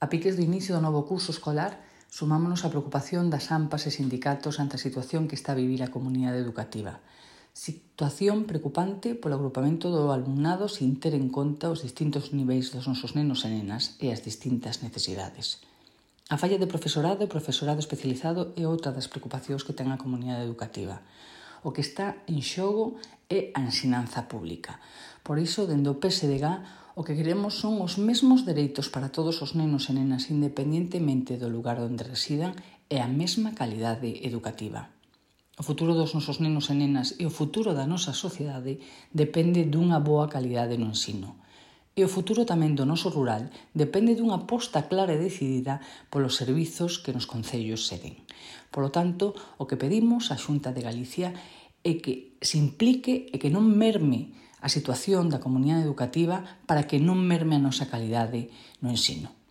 A piques do inicio do novo curso escolar, sumámonos á preocupación das AMPAs e sindicatos ante a situación que está a vivir a comunidade educativa. Situación preocupante polo agrupamento do alumnado sin ter en conta os distintos niveis dos nosos nenos e nenas e as distintas necesidades. A falla de profesorado e profesorado especializado é outra das preocupacións que ten a comunidade educativa. O que está en xogo é a ensinanza pública. Por iso, dende o PSDG, o que queremos son os mesmos dereitos para todos os nenos e nenas, independentemente do lugar onde residan, e a mesma calidade educativa. O futuro dos nosos nenos e nenas e o futuro da nosa sociedade depende dunha boa calidade no ensino. E o futuro tamén do noso rural depende dunha aposta clara e decidida polos servizos que nos concellos se den. Polo tanto, o que pedimos á Xunta de Galicia é que se implique e que non merme a situación da comunidade educativa para que non merme a nosa calidade no ensino.